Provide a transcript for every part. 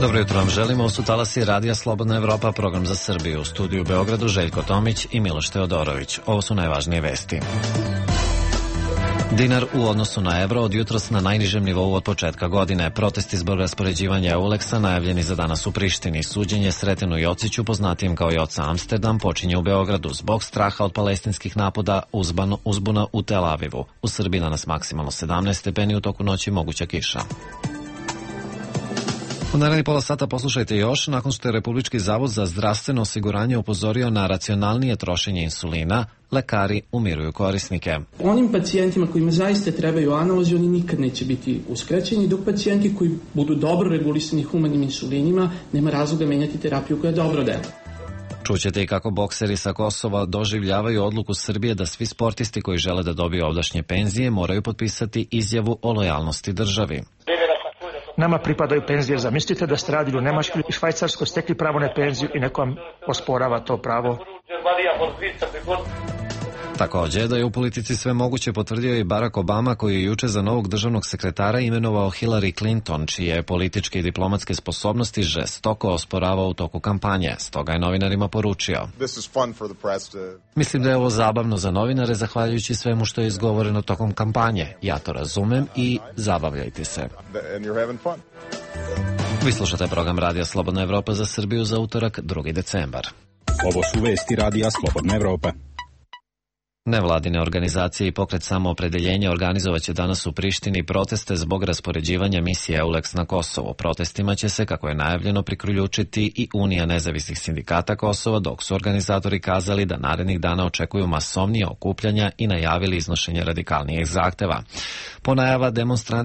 Dobro jutro vam želimo, su talasi Radija Slobodna Evropa, program za Srbiju. U studiju u Beogradu Željko Tomić i Miloš Teodorović. Ovo su najvažnije vesti. Dinar u odnosu na evro od jutros na najnižem nivou od početka godine. Protesti zbog raspoređivanja Euleksa najavljeni za danas u Prištini. Suđenje Sretenu Jociću, poznatijem kao Joca Amsterdam, počinje u Beogradu zbog straha od palestinskih napada, uzbuna u Tel Avivu. U Srbiji danas maksimalno 17 stepeni, u toku noći moguća kiša. U narednih pola sata poslušajte još, nakon što je Republički zavod za zdravstveno osiguranje upozorio na racionalnije trošenje insulina, lekari umiruju korisnike. Onim pacijentima kojima zaista trebaju analozi, oni nikad neće biti uskraćeni, dok pacijenti koji budu dobro regulisani humanim insulinima, nema razloga menjati terapiju koja je dobro dela. Čućete i kako bokseri sa Kosova doživljavaju odluku Srbije da svi sportisti koji žele da dobiju ovdašnje penzije moraju potpisati izjavu o lojalnosti državi. Nama pripadaju penzije. Zamislite da ste radili u Nemačkoj i Švajcarskoj, stekli pravo na penziju i neko vam osporava to pravo. Također da je u politici sve moguće potvrdio i Barack Obama, koji je juče za novog državnog sekretara imenovao Hillary Clinton, čije političke i diplomatske sposobnosti žestoko osporavao u toku kampanje. Stoga je novinarima poručio: Mislim da je ovo zabavno za novinare, zahvaljujući svemu što je izgovoreno tokom kampanje. Ja to razumem i zabavljajte se. Vi slušate program Radija Slobodna Evropa za Srbiju za utorak, 2. decembar. Ovo su vesti Radija Slobodna Evropa. Nevladine organizacije i pokret Samoopredeljenja organizovaće danas u Prištini proteste zbog raspoređivanja misije Euleks na Kosovo. Protestima će se, kako je najavljeno, priključiti i Unija nezavisnih sindikata Kosova, dok su organizatori kazali da narednih dana očekuju masovnije okupljanja i najavili iznošenje radikalnijih zahteva.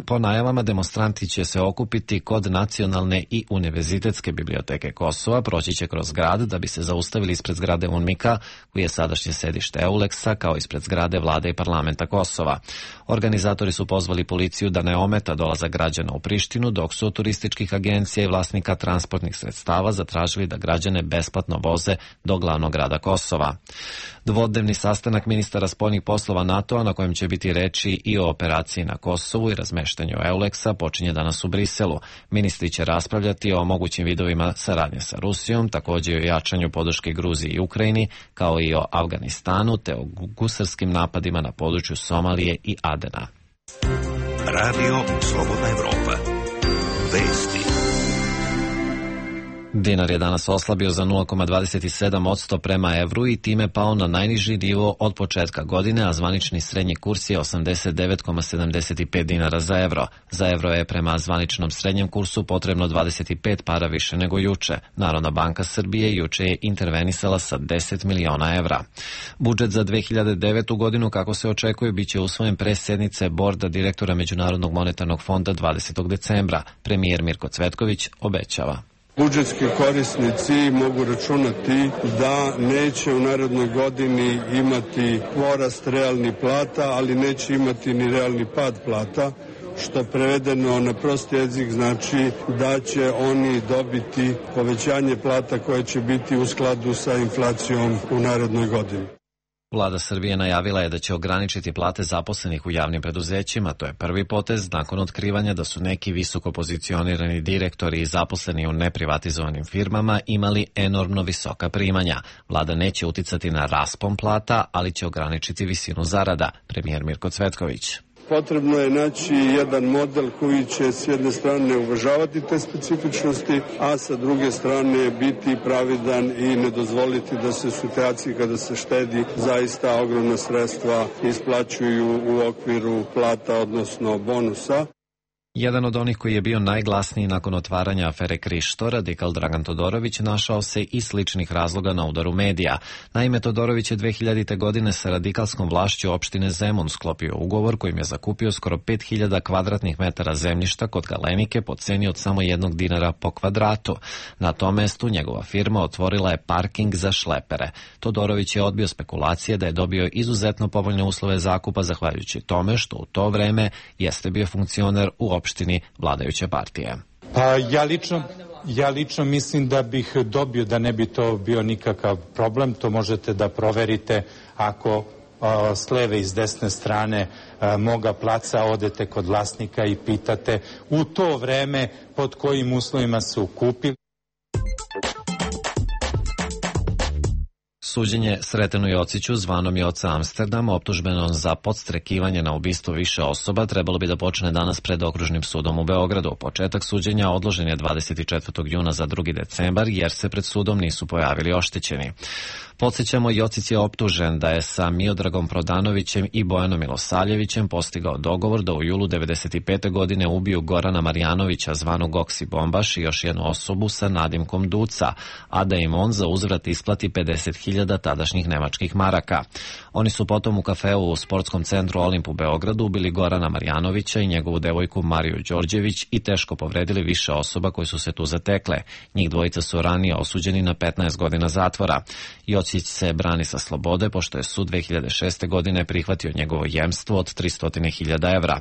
Po najavama demonstranti će se okupiti kod Nacionalne i Univerzitetske biblioteke Kosova, proći će kroz grad da bi se zaustavili ispred zgrade UNMIK-a, koji je sadašnje sedište Euleksa, kao ispred zgrade vlade i parlamenta Kosova. Organizatori su pozvali policiju da ne ometa dolazak građana u Prištinu, dok su od turističkih agencija i vlasnika transportnih sredstava zatražili da građane besplatno voze do glavnog grada Kosova. Dvodnevni sastanak ministara spoljnih poslova NATO-a, na kojem će biti reči i o operaciji na Kosovu i razmeštanju Euleksa, počinje danas u Briselu. Ministri će raspravljati o mogućim vidovima saradnje sa Rusijom, također i o jačanju podrške Gruziji i Ukrajini, kao i o Afganistanu, te o gusarskim napadima na području Somalije i Adena. Radio Slobodna Evropa. Vesti. Dinar je danas oslabio za 0,27% prema evru i time pao na najniži nivo od početka godine, a zvanični srednji kurs je 89,75 dinara za evro. Za evro je prema zvaničnom srednjem kursu potrebno 25 para više nego juče. Narodna banka Srbije juče je intervenisala sa 10 miliona evra. Budžet za 2009. godinu, kako se očekuje, bit će usvojen pre sednice borda direktora Međunarodnog monetarnog fonda 20. decembra. Premijer Mirko Cvetković obećava: Budžetski korisnici mogu računati da neće u narednoj godini imati porast realnih plata, ali neće imati ni realni pad plata, što prevedeno na prost jezik znači da će oni dobiti povećanje plata koje će biti u skladu sa inflacijom u narednoj godini. Vlada Srbije najavila je da će ograničiti plate zaposlenih u javnim preduzećima. To je prvi potez nakon otkrivanja da su neki visoko pozicionirani direktori i zaposleni u neprivatizovanim firmama imali enormno visoka primanja. Vlada neće uticati na raspon plata, ali će ograničiti visinu zarada. Premijer Mirko Cvetković: Potrebno je naći jedan model koji će s jedne strane uvažavati te specifičnosti, a sa druge strane biti pravidan i ne dozvoliti da se u situaciji kada se štedi zaista ogromna sredstva isplaćuju u okviru plata, odnosno bonusa. Jedan od onih koji je bio najglasniji nakon otvaranja afere Krišto, radikal Dragan Todorović, našao se i sličnih razloga na udaru medija. Naime, Todorović je 2000. godine sa radikalskom vlašću opštine Zemun sklopio ugovor kojim je zakupio skoro 5000 kvadratnih metara zemljišta kod Galenike po ceni od samo 1 dinara po kvadratu. Na tom mestu njegova firma otvorila je parking za šlepere. Todorović je odbio spekulacije da je dobio izuzetno povoljne uslove zakupa zahvaljujući tome što u to vreme jeste bio funkcioner u opštini vladajuće partije. Pa ja lično mislim da bih dobio, da ne bi to bio nikakav problem. To možete da proverite ako s leve i s desne strane moga placa odete kod vlasnika i pitate u to vreme pod kojim uslovima su kupili. Suđenje Sretenu Jociću, zvanom Joca Amsterdam, optužbenom za podstrekivanje na ubistvo više osoba, trebalo bi da počne danas pred Okružnim sudom u Beogradu. Početak suđenja odložen je 24. juna za 2. decembar, jer se pred sudom nisu pojavili oštećeni. Podsjećamo, Jocić je optužen da je sa Miodragom Prodanovićem i Bojanom Milosavljevićem postigao dogovor da u julu 1995. godine ubiju Gorana Marjanovića, zvanog Goksi Bombaš, i još jednu osobu sa nadimkom Duca, a da im on za uzvrat isplati 50.000 tadašnjih nemačkih maraka. Oni su potom u kafeu u sportskom centru Olimp u Beogradu ubili Gorana Marjanovića i njegovu devojku Mariju Đorđević i teško povredili više osoba koji su se tu zatekle. Njih dvojica su ranije osuđeni na 15 godina zatvora. Jocić se brani sa slobode, pošto je sud 2006. godine prihvatio njegovo jemstvo od 300.000 evra.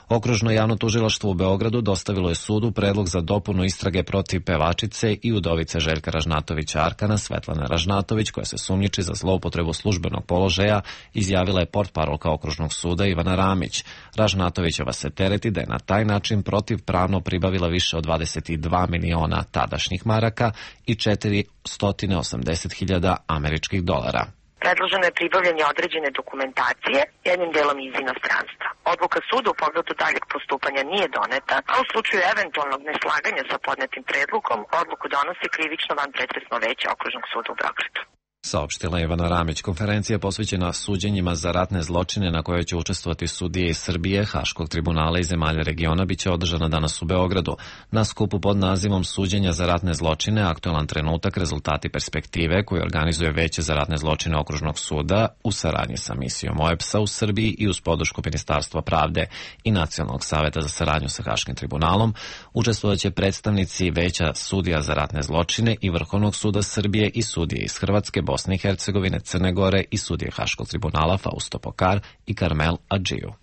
Okružno javno tužilaštvo u Beogradu dostavilo je sudu predlog za dopunu istrage protiv pevačice i udovice Željka Ražnatovića Arkana, Svetlane Ražnatović, koja se sumnjiči za zloupotrebu službenog položaja, izjavila je portparolka Okružnog suda Ivana Ramić. Ražnatovićeva se tereti da je na taj način protivpravno pribavila više od 22 miliona tadašnjih maraka i 480.000 američkih dolara. Predloženo je pribavljanje određene dokumentacije, jednim delom iz inostranstva. Odluka suda u pogledu daljeg postupanja nije doneta, a u slučaju eventualnog neslaganja sa podnetim predlogom, odluku donosi krivično vanpretresno veće Okružnog suda u Beogradu. Saopštila Ivana Ramić. Konferencija posvećena suđenjima za ratne zločine na kojoj će učestvovati sudije iz Srbije, Haškog tribunala i zemalja regiona biće održana danas u Beogradu. Na skupu pod nazivom Suđenja za ratne zločine, aktualan trenutak, rezultati perspektive, koji organizuje Veće za ratne zločine Okružnog suda u saradnji sa misijom OEBS-a u Srbiji i uz podršku Ministarstva pravde i Nacionalnog saveta za saradnju sa Haškim tribunalom, učestvovaće predstavnici Veća sudija za ratne zločine i Vrhovnog suda Srbije i sudije iz Hrvatske, Bosne i Hercegovine, Crne Gore i sudije Haškog tribunala Fausto Pokar i Karmel Adžiju.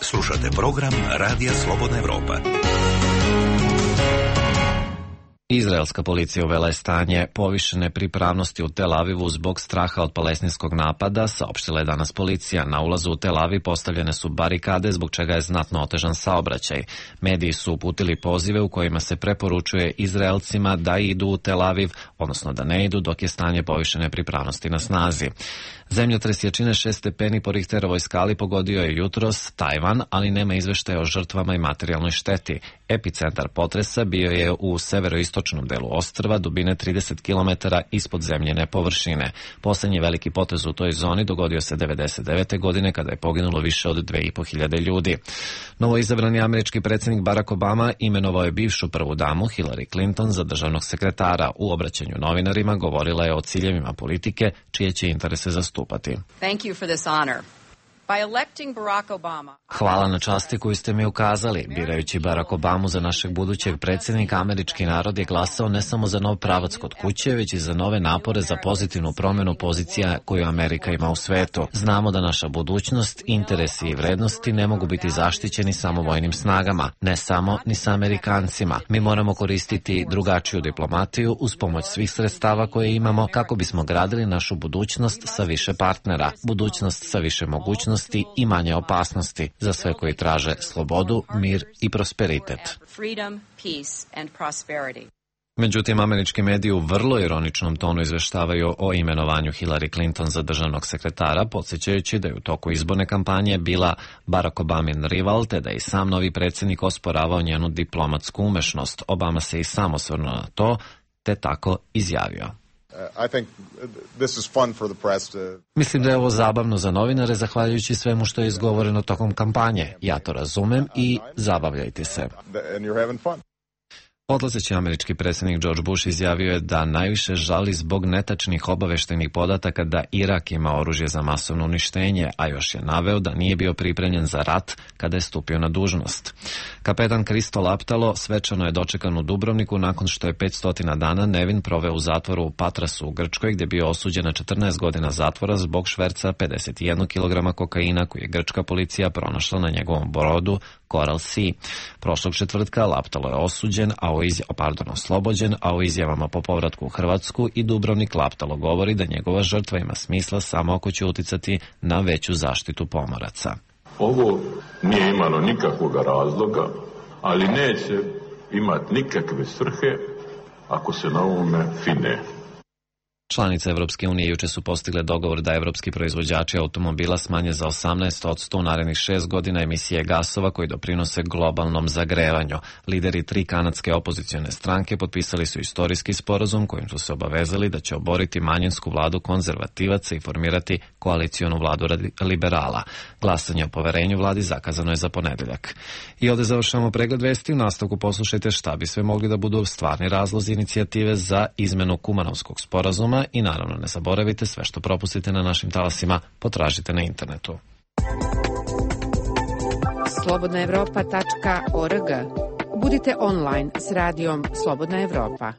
Slušate program Radija Slobodna Evropa. Izraelska policija uvela je stanje povišene pripravnosti u Tel Avivu zbog straha od palestinskog napada, saopštila je danas policija. Na ulazu u Tel Aviv postavljene su barikade, zbog čega je znatno otežan saobraćaj. Mediji su uputili pozive u kojima se preporučuje Izraelcima da idu u Tel Aviv, odnosno da ne idu dok je stanje povišene pripravnosti na snazi. Zemljotres jačine 6 stepeni po Richterovoj skali pogodio je jutros Tajvan, ali nema izveštaja o žrtvama i materijalnoj šteti. Epicentar potresa bio je u severoistočnom delu ostrva, dubine 30 km ispod zemljene površine. Poslednji veliki potez u toj zoni dogodio se 1999. godine kada je poginulo više od 2.500 ljudi. Novoizabrani američki predsjednik Barack Obama imenovao je bivšu prvu damu Hillary Clinton za državnog sekretara. U obraćanju novinarima govorila je o ciljevima politike čije će interese zastupati. Thank you for this honor. Hvala na časti koju ste mi ukazali. Birajući Barack Obamu za našeg budućeg predsjednika, američki narod je glasao ne samo za nov pravac kod kuće, već i za nove napore za pozitivnu promjenu pozicija koju Amerika ima u svetu. Znamo da naša budućnost, interesi i vrednosti ne mogu biti zaštićeni samo vojnim snagama, ne samo ni sa Amerikancima. Mi moramo koristiti drugačiju diplomatiju uz pomoć svih sredstava koje imamo kako bismo gradili našu budućnost sa više partnera, budućnost sa više mogućnosti i manje opasnosti za sve koji traže slobodu, mir i prosperitet. Međutim, američki mediji u vrlo ironičnom tonu izveštavaju o imenovanju Hillary Clinton za državnog sekretara, podsjećajući da je u toku izborne kampanje bila Barack Obamin rival, te da je i sam novi predsjednik osporavao njenu diplomatsku umešnost. Obama se i sam osvrnuo na to, te tako izjavio. Mislim da je ovo zabavno za novinare, zahvaljujući svemu što je izgovoreno tokom kampanje. Ja to razumem i zabavljajte se. Odlazeći američki predsjednik George Bush izjavio je da najviše žali zbog netačnih obaveštenih podataka da Irak ima oružje za masovno uništenje, a još je naveo da nije bio pripremljen za rat kada je stupio na dužnost. Kapetan Kristo Laptalo svečano je dočekan u Dubrovniku nakon što je 500 dana nevin proveo u zatvoru u Patrasu u Grčkoj, gdje je bio osuđen na 14 godina zatvora zbog šverca 51 kg kokaina koji je grčka policija pronašla na njegovom brodu Coral Sea. Prošlog četvrtka Laptalo je osuđen, a oslobođen, a o izjavama po povratku u Hrvatsku i Dubrovnik Laptalo govori da njegova žrtva ima smisla samo ako će uticati na veću zaštitu pomoraca. Ovo nije imalo nikakvog razloga, ali neće imati nikakve svrhe ako se na ovome fine. Članice Evropske unije juče su postigle dogovor da evropski proizvođači automobila smanje za 18% u narednih 6 godina emisije gasova koji doprinose globalnom zagrevanju. Lideri 3 kanadske opozicione stranke potpisali su istorijski sporazum kojim su se obavezali da će oboriti manjinsku vladu konzervativaca i formirati koalicionu vladu liberala. Glasanje o poverenju vladi zakazano je za ponedeljak. I ovde završavamo pregled vesti. U nastavku poslušajte šta bi sve mogli da budu stvarni razlozi inicijative za izmenu Kumanovskog sporazuma i naravno ne zaboravite, sve što propustite na našim talasima potražite na internetu. slobodnaevropa.org. Budite online s radijom Slobodna Evropa.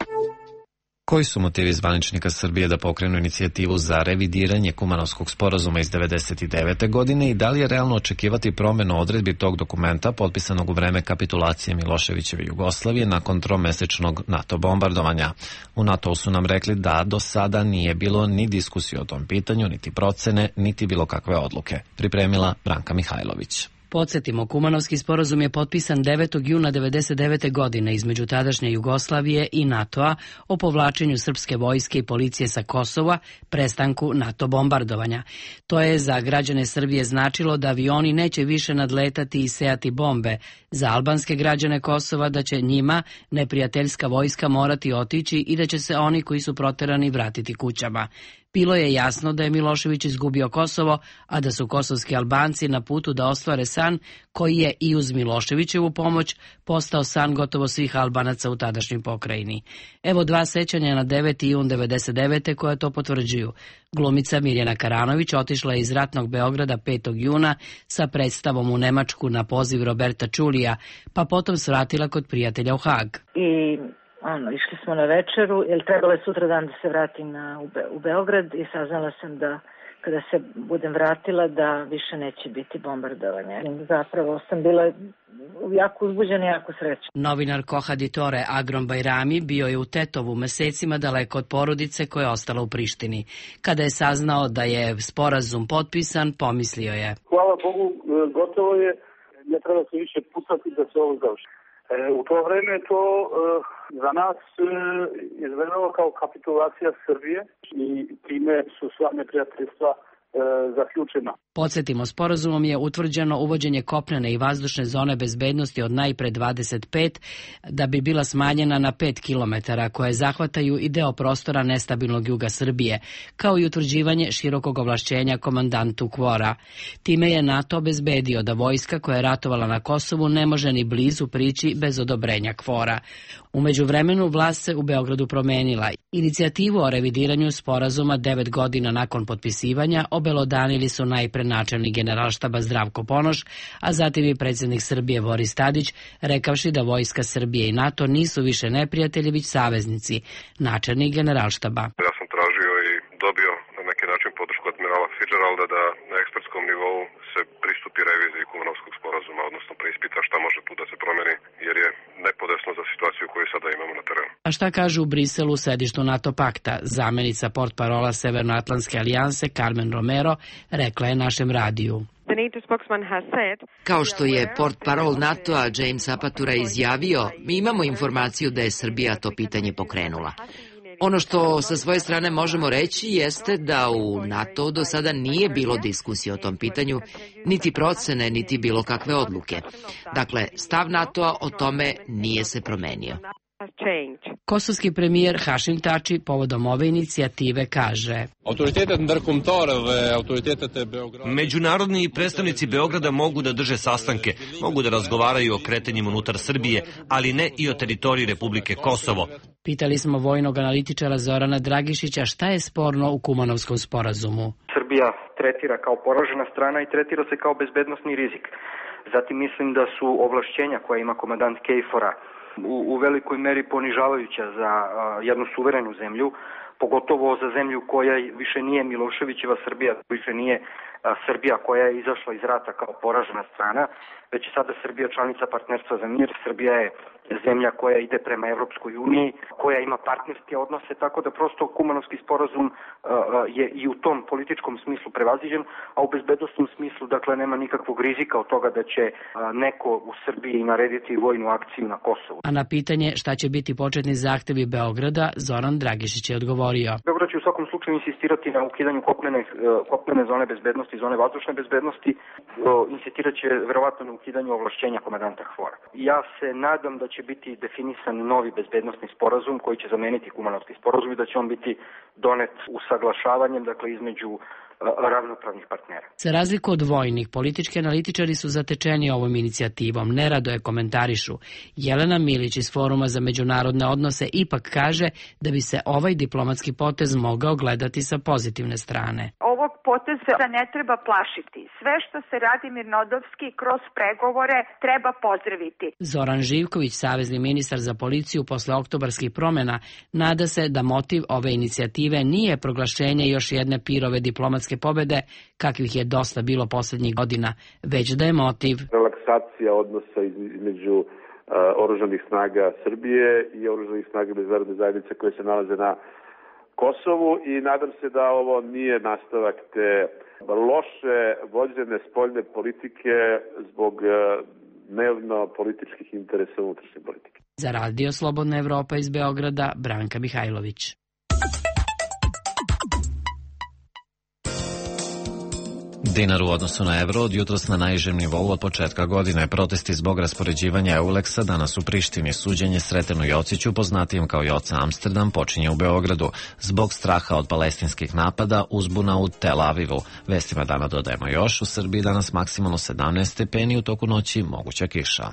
Koji su motivi zvaničnika Srbije da pokrenu inicijativu za revidiranje Kumanovskog sporazuma iz 1999. godine i da li je realno očekivati promenu odredbi tog dokumenta potpisanog u vreme kapitulacije Miloševićeve Jugoslavije nakon tromesečnog NATO bombardovanja? U NATO su nam rekli da do sada nije bilo ni diskusije o tom pitanju, niti procene, niti bilo kakve odluke. Pripremila Branka Mihajlović. Podsjetimo, Kumanovski sporazum je potpisan 9. juna 1999. godine između tadašnje Jugoslavije i NATO-a o povlačenju srpske vojske i policije sa Kosova, prestanku NATO bombardovanja. To je za građane Srbije značilo da avioni neće više nadletati i sejati bombe, za albanske građane Kosova da će njima neprijateljska vojska morati otići i da će se oni koji su proterani vratiti kućama. Bilo je jasno da je Milošević izgubio Kosovo, a da su kosovski Albanci na putu da ostvare san koji je i uz Miloševićevu pomoć postao san gotovo svih Albanaca u tadašnjoj pokrajini. Evo 2 sećanja na 9. jun 1999. koja to potvrđuju. Glumica Mirjana Karanović otišla je iz ratnog Beograda 5. juna sa predstavom u Nemačku na poziv Roberta Čulija, pa potom svratila kod prijatelja u Hag. Išli smo na večeru, jer trebalo je sutra dan da se vratim u Beograd i saznala sam da kada se budem vratila da više neće biti bombardovanja. Zapravo sam bila jako uzbuđena i jako srećna. Novinar Kohaditore Agrom Bajrami bio je u Tetovu mesecima daleko od porodice koja je ostala u Prištini. Kada je saznao da je sporazum potpisan, pomislio je: hvala Bogu, gotovo je, ne treba se više pucati da se ovo završi. U to vreme to za nas izgledalo kao kapitulacija Srbije i time su sva neprijateljstva zaključena. Podsjetimo, sporazumom je utvrđeno uvođenje kopnene i vazdušne zone bezbednosti od najpre 25 da bi bila smanjena na 5 kilometara, koje zahvataju i deo prostora nestabilnog juga Srbije, kao i utvrđivanje širokog ovlašćenja komandantu KFOR-a. Time je NATO obezbedio da vojska koja je ratovala na Kosovu ne može ni blizu prići bez odobrenja KFOR-a. U međuvremenu vlast se u Beogradu promenila. Inicijativu o revidiranju sporazuma 9 godina nakon potpisivanja obelodanili su najpre načelnik Generalštaba Zdravko Ponoš, a zatim i predsjednik Srbije Boris Tadić, rekavši da vojska Srbije i NATO nisu više neprijatelji, već saveznici. Načelnik Generalštaba: ja sam tražio i dobio na neki način podršku admirala Fitzgeralda da na ekspertskom nivou se pristupi reviziji Kumanovskog sporazuma, odnosno preispita šta može tu da se promeni, jer je nepodesno za situaciju koju sada imamo na terenu. A šta kažu u Briselu, sedištu NATO pakta? Zamenica portparola Severnoatlantske alijanse Carmen Romero rekla je našem radiju: kao što je portparol NATO-a James Apatura izjavio, mi imamo informaciju da je Srbija to pitanje pokrenula. Ono što sa svoje strane možemo reći jeste da u NATO do sada nije bilo diskusije o tom pitanju, niti procene, niti bilo kakve odluke. Dakle, stav NATO-a o tome nije se promenio. Kosovski premijer Hašim Tači povodom ove inicijative kaže: međunarodni predstavnici Beograda mogu da drže sastanke, mogu da razgovaraju o kretanjima unutar Srbije, ali ne i o teritoriji Republike Kosovo. Pitali smo vojnog analitičara Zorana Dragišića šta je sporno u Kumanovskom sporazumu. Srbija tretira kao poražena strana i tretira se kao bezbednosni rizik. Zatim mislim da su ovlašćenja koja ima komandant KFOR-a u velikoj meri ponižavajuća za jednu suverenu zemlju, pogotovo za zemlju koja više nije Miloševićeva Srbija, više nije Srbija koja je izašla iz rata kao poražena strana, već je sada Srbija članica partnerstva za mir. Srbija je zemlja koja ide prema Evropskoj uniji, koja ima partnerske odnose, tako da prosto Kumanovski sporazum je i u tom političkom smislu prevaziđen, a u bezbednosnom smislu, dakle, nema nikakvog rizika od toga da će neko u Srbiji narediti vojnu akciju na Kosovu. A na pitanje šta će biti početni zahtevi Beograda, Zoran Dragišić je odgovorio. Beograd će u svakom slučaju insistirati na ukidanju kopnene zone bezbednosti, zone vazdušne bezbednosti, insistirat će verovatno na ukidanju ovlašćenja komandanta HVOR-a. Ja se nadam da će biti definisan novi bezbednosni sporazum koji će zameniti Kumanovski sporazum i da će on biti donet usaglašavanjem, dakle, između ravnopravnih partnera. Za razliku od vojnih, politički analitičari su zatečeni ovom inicijativom, nerado je komentarišu. Jelena Milić iz Foruma za međunarodne odnose ipak kaže da bi se ovaj diplomatski potez mogao gledati sa pozitivne strane. Ovog poteza ne treba plašiti. Sve što se radi mirnodopski kroz pregovore treba pozdraviti. Zoran Živković, savezni ministar za policiju posle oktobarskih promjena, nada se da motiv ove inicijative nije proglašenje još jedne pirove diplomatske pobede, kakvih je dosta bilo poslednjih godina, već da je motiv relaksacija odnosa između oružanih snaga Srbije i oružanih snaga međunarodne zajednice koje se nalaze na Kosovu i nadam se da ovo nije nastavak te loše vođene spoljne politike zbog dnevno političkih interesa unutrašnje politike. Za Radio Slobodna Evropa iz Beograda, Branka Mihajlović. Dinar u odnosu na evro od jutros na najnižem nivou od početka godine. Protesti zbog raspoređivanja Euleksa danas u Prištini. Suđenje Sretenu Jociću, poznatijem kao Joca Amsterdam, počinje u Beogradu. Zbog straha od palestinskih napada, uzbuna u Tel Avivu. Vestima dana dodajemo još, u Srbiji danas maksimalno 17 stepeni, u toku noći moguća kiša.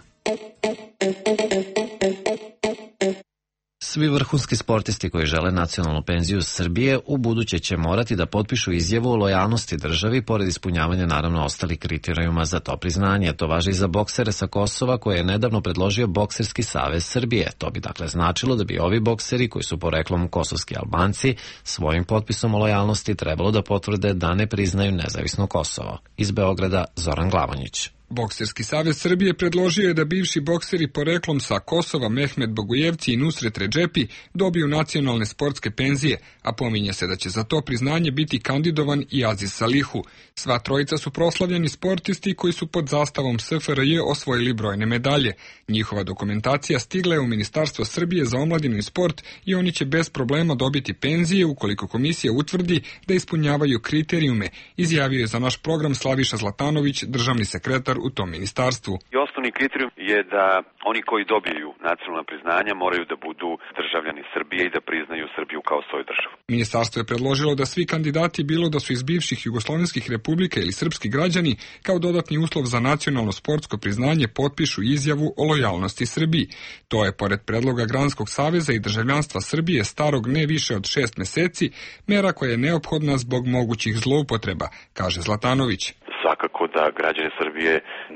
Svi vrhunski sportisti koji žele nacionalnu penziju Srbije u buduće će morati da potpišu izjavu o lojalnosti državi, pored ispunjavanja naravno ostalih kriterijuma za to priznanje. To važi i za boksere sa Kosova koje je nedavno predložio Bokserski savez Srbije. To bi dakle značilo da bi ovi bokseri, koji su poreklom kosovski Albanci, svojim potpisom o lojalnosti trebalo da potvrde da ne priznaju nezavisno Kosovo. Iz Beograda, Zoran Glavonjić. Bokserski savez Srbije predložio je da bivši bokseri poreklom sa Kosova Mehmet Bogujevci i Nusret Redžepi dobiju nacionalne sportske penzije, a pominje se da će za to priznanje biti kandidovan i Aziz Salihu. Sva trojica su proslavljeni sportisti koji su pod zastavom SFRJ osvojili brojne medalje. Njihova dokumentacija stigla je u Ministarstvo Srbije za omladinu i sport i oni će bez problema dobiti penzije ukoliko komisija utvrdi da ispunjavaju kriterijume, izjavio je za naš program Slaviša Zlatanović, državni sekretar u tom ministarstvu. I osnovni kriterijum je da oni koji dobiju nacionalna priznanja moraju da budu državljani Srbije i da priznaju Srbiju kao svoju državu. Ministarstvo je predložilo da svi kandidati, bilo da su iz bivših jugoslovenskih republika ili srpski građani, kao dodatni uslov za nacionalno sportsko priznanje potpišu izjavu o lojalnosti Srbiji. To je, pored predloga Granskog saveza i državljanstva Srbije starog ne više od 6 meseci, mera koja je neophodna zbog mogućih zloupotreba, kaže Zlatanović. Svakako da građani Srbije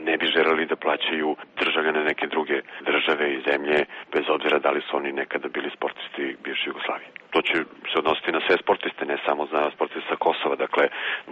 ne bi želeli da plaćaju državljane neke druge države i zemlje, bez obzira da li su oni nekada bili sportisti bivše Jugoslavije. To će se odnositi na sve sportiste, ne samo za sportiste sa Kosova. Dakle,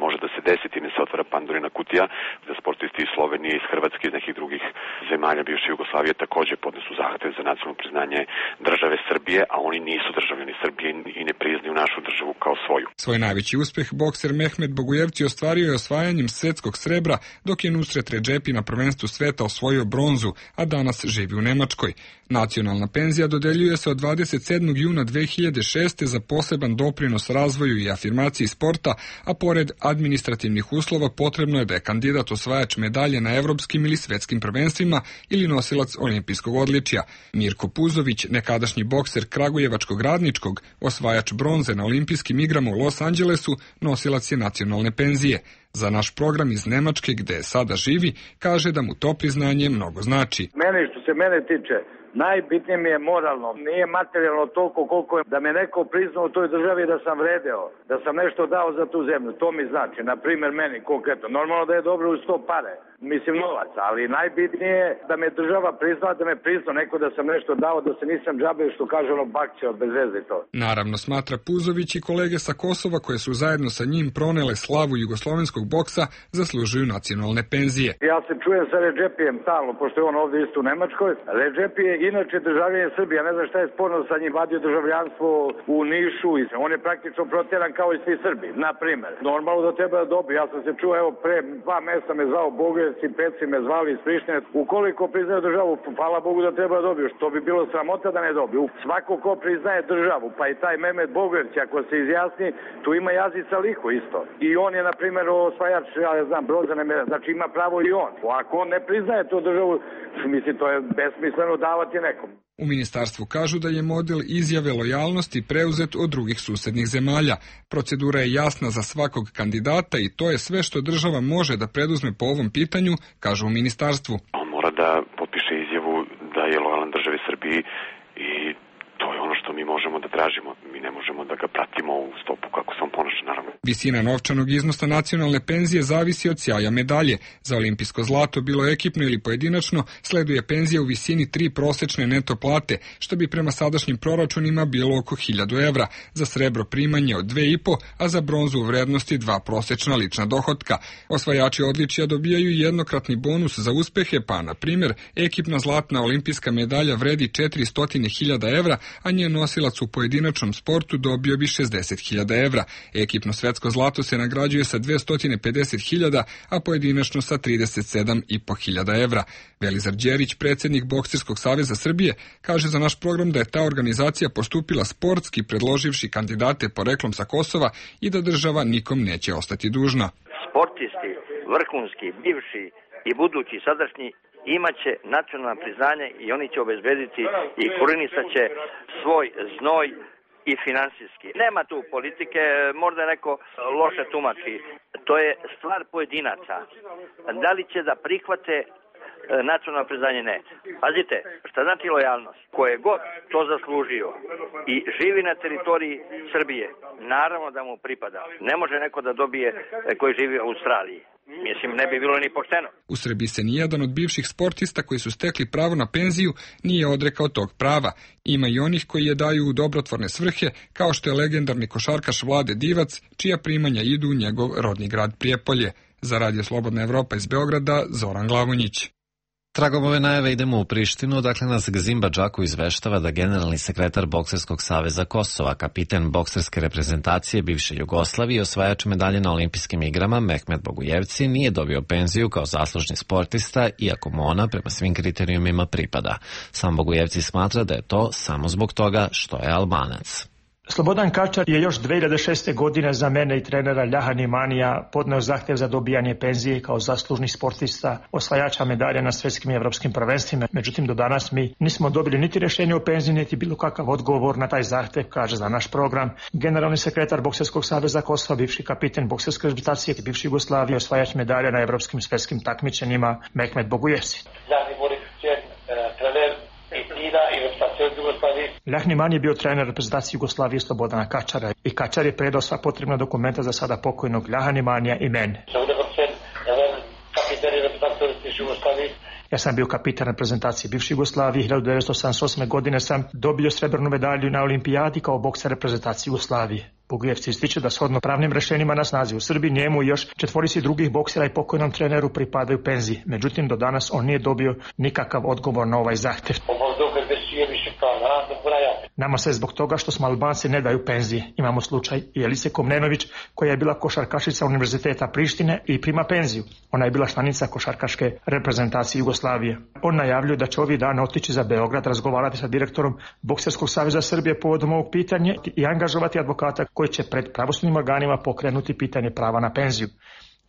može da se desi, time se otvara Pandorina kutija, da sportisti iz Slovenije, iz Hrvatske, iz nekih drugih zemalja bivše Jugoslavije takođe podnesu zahtev za nacionalno priznanje države Srbije, a oni nisu državljani Srbije i ne priznaju našu državu kao svoju. Svoj najveći uspeh bokser Mehmet Bogujevci ostvario je osvajanjem svetskog srebra, dok je Nusret Redžepi na prvenstvu sveta osvojio bronzu, a danas živi u Nemačkoj. Nacionalna penzija dodeljuje se od 27. juna 2006. za poseban doprinos razvoju i afirmaciji sporta, a pored administrativnih uslova potrebno je da je kandidat osvajač medalje na evropskim ili svetskim prvenstvima ili nosilac olimpijskog odličja. Mirko Puzović, nekadašnji bokser Kragujevačkog Radničkog, osvajač bronze na olimpijskim igrama u Los Angelesu, nosilac je nacionalne penzije. Za naš program iz Nemačke, gde sada živi, kaže da mu to priznanje mnogo znači. Što se mene tiče, najbitnije mi je moralno, nije materijalno toliko koliko je da me neko priznao u toj državi da sam vredeo, da sam nešto dao za tu zemlju, to mi znači, na primjer meni konkretno. Normalno da je dobro uz to pare, mislim novac, ali najbitnije je da me država priznala, da me priznao neko da sam nešto dao, da se nisam džabio što kaže ono bakće od bez veze i to. Naravno, smatra Puzović, i kolege sa Kosova koje su zajedno sa njim pronele slavu jugoslovenskog boksa zaslužuju nacionalne penzije. Ja se čujem sa Redžepijem stalno, pošto je on ovdje isto u Nemačkoj. Redžepi je inače državljanin Srbije, ja ne znam šta je sporno sa njim, vadio državljanstvo u Nišu i on je praktično protjeran kao i svi Srbi, na primer. Normalno da treba da dobije, ja sam se čuo, evo pre 2 mjeseca me zvao Bogojevci, Peci me zvali iz Prištine, ukoliko priznaju državu, hvala Bogu da treba da dobiju, što bi bilo sramota da ne dobiju. Svako ko priznaje državu, pa i taj Mehmet Bogojevci, ako se izjasni, tu ima Jazica Liho isto. I on je, na primjer, osvajač, ja ne znam, Brozane medalje, znači ima pravo i on. Ako on ne priznaje tu državu, mislim, to je besmisleno davati nekom. U ministarstvu kažu da je model izjave lojalnosti preuzet od drugih susednih zemalja. Procedura je jasna za svakog kandidata i to je sve što država može da preduzme po ovom pitanju, kažu u ministarstvu. On mora da potpiše izjavu da je lojalan državi Srbiji i to je ono što mi možemo da tražimo. Mi ne možemo da ga pratimo u stopu kako se on ponaša, naravno. Visina novčanog iznosa nacionalne penzije zavisi od sjaja medalje. Za olimpijsko zlato, bilo ekipno ili pojedinačno, sleduje penzija u visini 3 prosečne neto plate, što bi prema sadašnjim proračunima bilo oko 1000 evra. Za srebro primanje od 2,5, a za bronzu u vrednosti 2 prosečna lična dohotka. Osvajači odličja dobijaju jednokratni bonus za uspehe, pa, na primjer, ekipna zlatna olimpijska medalja vredi 400.000 evra, a njen nosilac u pojedinačnom sportu dobio bi 60.000 evra. Ekipno svetsko zlato se nagrađuje sa 250.000, a pojedinačno sa 37.500 evra. Velizar Đerić, predsjednik Bokserskog saveza Srbije, kaže za naš program da je ta organizacija postupila sportski predloživši kandidate poreklom sa Kosova i da država nikom neće ostati dužna. Sportisti, vrhunski, bivši i budući, sadašnji, imaće nacionalno priznanje i oni će obezbediti i korenisat će svoj znoj i finansijski. Nema tu politike, možda neko loše tumači. To je stvar pojedinaca. Da li će da prihvate nacionalno priznanje? Ne. Pazite, šta znači lojalnost? Ko je god to zaslužio i živi na teritoriji Srbije, naravno da mu pripada. Ne može neko da dobije koji živi u Australiji. Mislim, ne bi bilo ni pošteno. U Srbiji se nijedan od bivših sportista koji su stekli pravo na penziju nije odrekao tog prava. Ima i onih koji je daju u dobrotvorne svrhe, kao što je legendarni košarkaš Vlade Divac, čija primanja idu u njegov rodni grad Prijepolje. Za Radio Slobodna Evropa iz Beograda, Zoran Glavonjić. Tragom ove najave idemo u Prištinu, dakle nas Gzimba Džaku izveštava da generalni sekretar Bokserskog saveza Kosova, kapiten bokserske reprezentacije bivše Jugoslavije i osvajač medalje na olimpijskim igrama Mehmet Bogujevci nije dobio penziju kao zaslužni sportista, iako mu ona prema svim kriterijumima pripada. Sam Bogujevci smatra da je to samo zbog toga što je Albanac. Slobodan Kačar je još 2006. godine za mene i trenera Ljahan Imanija podneo zahtev za dobijanje penzije kao zaslužni sportista, osvajača medalja na svjetskim i evropskim prvenstvima. Međutim, do danas mi nismo dobili niti rješenje o penziji, niti bilo kakav odgovor na taj zahtev, kaže za naš program generalni sekretar Bokserskog saveza Kosova, bivši kapiten bokserske reprezentacije bivše Jugoslavije, osvajač medalja na evropskim svjetskim takmičenjima Mehmet Bogujevci. Ljahniman je bio trener reprezentacije Jugoslavije Slobodana Kačara i Kačar je predao sva potrebna dokumenta za sada pokojnog Ljahnimanija i mene. Ja sam bio kapitan reprezentacije bivše Jugoslavije. 1978. godine sam dobio srebrnu medalju na olimpijadi kao bokser reprezentacije Jugoslavije. Bogujevci ističe da shodno pravnim rešenjima na snazi u Srbiji njemu i još 4 drugih boksera i pokojnom treneru pripadaju penziji. Međutim, do danas on nije dobio nikakav odgovor na ovaj zahtev. Nama se zbog toga što smo Albanci ne daju penzije. Imamo slučaj Jelice Komnenović, koja je bila košarkašica Univerziteta Prištine i prima penziju. Ona je bila članica košarkaške reprezentacije Jugoslavije. On najavljuje da će ovih dana otići za Beograd, razgovarati sa direktorom Bokserskog saveza Srbije povodom ovog pitanja i angažovati advokata koji će pred pravosudnim organima pokrenuti pitanje prava na penziju.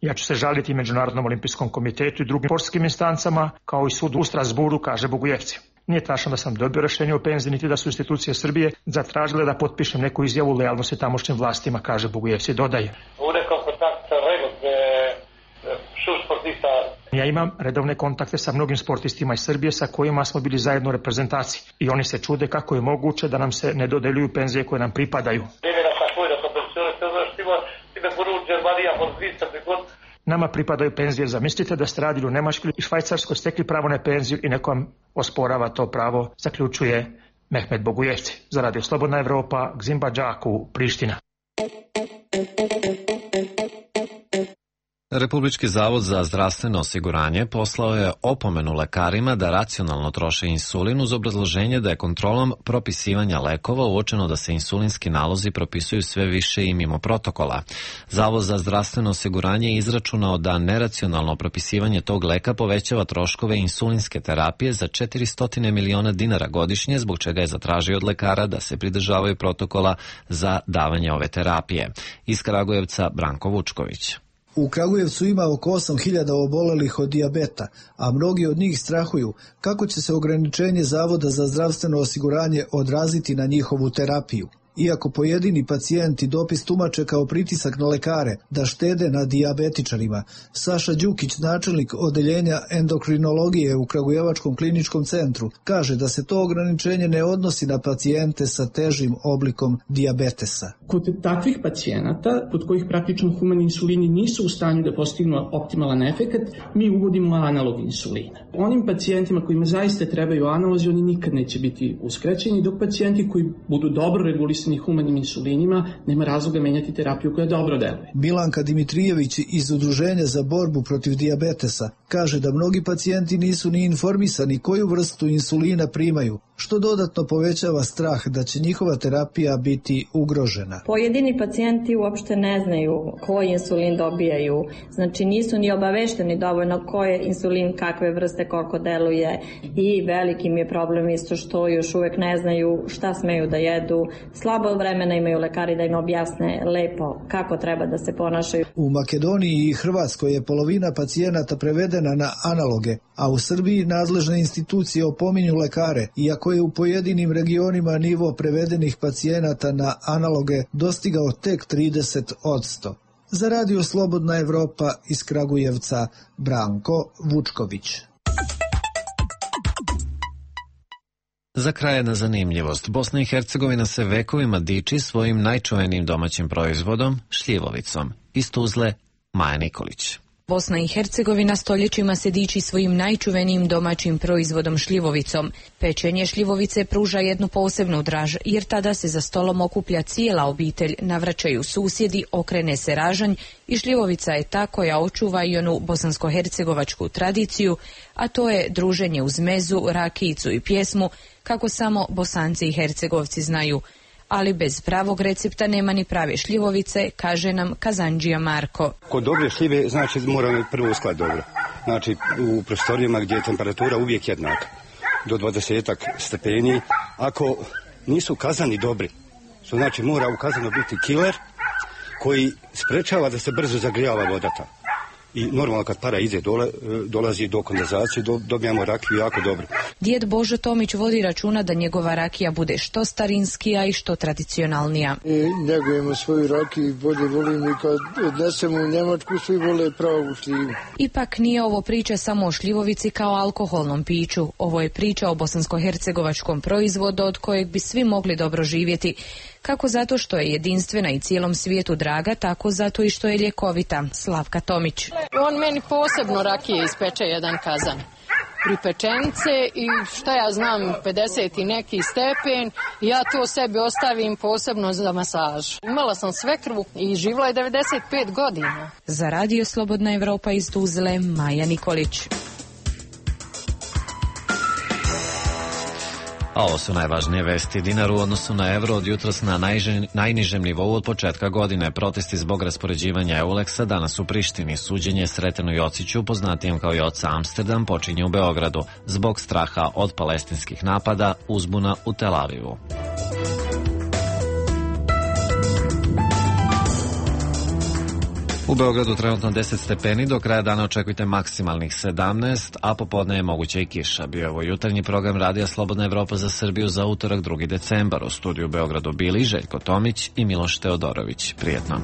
Ja ću se žaliti Međunarodnom olimpijskom komitetu i drugim sportskim instancama, kao i sudu u Strasburu, kaže Bogujevci. Nije tačno da sam dobio rešenje o penziji, niti da su institucije Srbije zatražile da potpišem neku izjavu lojalnosti tamošnjim vlastima, kaže Bogujevci, dodaje. Ja imam redovne kontakte sa mnogim sportistima iz Srbije sa kojima smo bili zajedno u reprezentaciji i oni se čude kako je moguće da nam se ne dodeljuju penzije koje nam pripadaju. Nama pripadaju penzije. Zamislite da ste radili u Nemačkoj i Švajcarskoj, stekli pravo na penziju i neko vam osporava to pravo, zaključuje Mehmet Bogujevci. Za Radio Slobodna Evropa, Gzimba Džaku, Priština. Republički zavod za zdravstveno osiguranje poslao je opomenu lekarima da racionalno troše insulin uz obrazloženje da je kontrolom propisivanja lekova uočeno da se insulinski nalozi propisuju sve više i mimo protokola. Zavod za zdravstveno osiguranje je izračunao da neracionalno propisivanje tog leka povećava troškove insulinske terapije za 400 miliona dinara godišnje, zbog čega je zatražio od lekara da se pridržavaju protokola za davanje ove terapije. Iz Kragujevca Branko Vučković. U Kragujevcu ima oko 8.000 obolelih od dijabeta, a mnogi od njih strahuju kako će se ograničenje Zavoda za zdravstveno osiguranje odraziti na njihovu terapiju. Iako pojedini pacijenti dopis tumače kao pritisak na lekare da štede na dijabetičarima, Saša Đukić, načelnik odeljenja endokrinologije u Kragujevačkom kliničkom centru, kaže da se to ograničenje ne odnosi na pacijente sa težim oblikom dijabetesa. Kod takvih pacijenata, kod kojih praktično humani insulini nisu u stanju da postignu optimalan efekat, mi uvodimo analog insulina. Onim pacijentima kojima zaista trebaju analozi, oni nikad neće biti uskraćeni, dok pacijenti koji budu dobro regulisani humanim insulinima, nema razloga menjati terapiju koja dobro deluje. Milanka Dimitrijević iz Udruženja za borbu protiv dijabetesa kaže da mnogi pacijenti nisu ni informisani koju vrstu insulina primaju, što dodatno povećava strah da će njihova terapija biti ugrožena. Pojedini pacijenti uopšte ne znaju koji insulin dobijaju, znači nisu ni obavešteni dovoljno koji je insulin, kakve vrste, koliko deluje, i veliki mi je problem isto što još uvek ne znaju šta smeju da jedu. Slabo vremena imaju lekari da im objasne lepo kako treba da se ponašaju. U Makedoniji i Hrvatskoj je polovina pacijenata prevedena na analoge, a u Srbiji nadležne institucije opominju lekare, iako je u pojedinim regionima nivo prevedenih pacijenata na analoge dostigao tek 30%. Za Radio Slobodna Evropa iz Kragujevca, Branko Vučković. Za kraj jedna zanimljivost. Bosna i Hercegovina se vekovima diči svojim najčuvenijim domaćim proizvodom, šljivovicom. Iz Tuzle, Maja Nikolić. Bosna i Hercegovina stoljećima se diči svojim najčuvenijim domaćim proizvodom šljivovicom. Pečenje šljivovice pruža jednu posebnu draž, jer tada se za stolom okuplja cijela obitelj, navraćaju susjedi, okrene se ražanj i šljivovica je ta koja očuva i onu bosansko-hercegovačku tradiciju, a to je druženje uz mezu, rakijicu i pjesmu, kako samo Bosanci i Hercegovci znaju. Ali bez pravog recepta nema ni prave šljivovice, kaže nam kazandžija Marko. Kod dobre šljive znači moramo prvo uskladiti dobro. Znači u prostorijama gdje je temperatura uvijek jednaka, do 20 stepeni. Ako nisu kazani dobri, što znači mora u kazanu biti kiler koji sprečava da se brzo zagrijava vodata. I normalno kad para ide dolazi do kondenzacije, dobijamo rakiju jako dobro. Djed Božo Tomić vodi računa da njegova rakija bude što starinskija i što tradicionalnija. Njegujemo svoju rakiju i bolje volimo i kad odnesemo u Njemačku svi vole pravu šljivu. Ipak nije ovo priča samo o šljivovici kao alkoholnom piću. Ovo je priča o bosansko-hercegovačkom proizvodu od kojeg bi svi mogli dobro živjeti. Kako zato što je jedinstvena i cijelom svijetu draga, tako zato i što je ljekovita. Slavka Tomić. On meni posebno rakije ispeče jedan kazan. Pripečence i šta ja znam, 50 i neki stepen, ja to sebi ostavim posebno za masažu. Imala sam svekru i živjela je 95 godina. Za Radio Slobodna Evropa iz Tuzle, Maja Nikolić. A ovo su najvažnije vesti. Dinar u odnosu na evro od jutros na najnižem nivou od početka godine. Protesti zbog raspoređivanja Euleksa danas u Prištini. Suđenje Sretenu Jociću, poznatijem kao Joca Amsterdam, počinje u Beogradu. Zbog straha od palestinskih napada, uzbuna u Tel Avivu. U Beogradu trenutno 10 stepeni, do kraja dana očekujte maksimalnih 17, a popodne je moguća i kiša. Bio je ovo jutarnji program Radija Slobodna Evropa za Srbiju za utorak 2. decembar. U studiju u Beogradu bili Željko Tomić i Miloš Teodorović. Prijetno.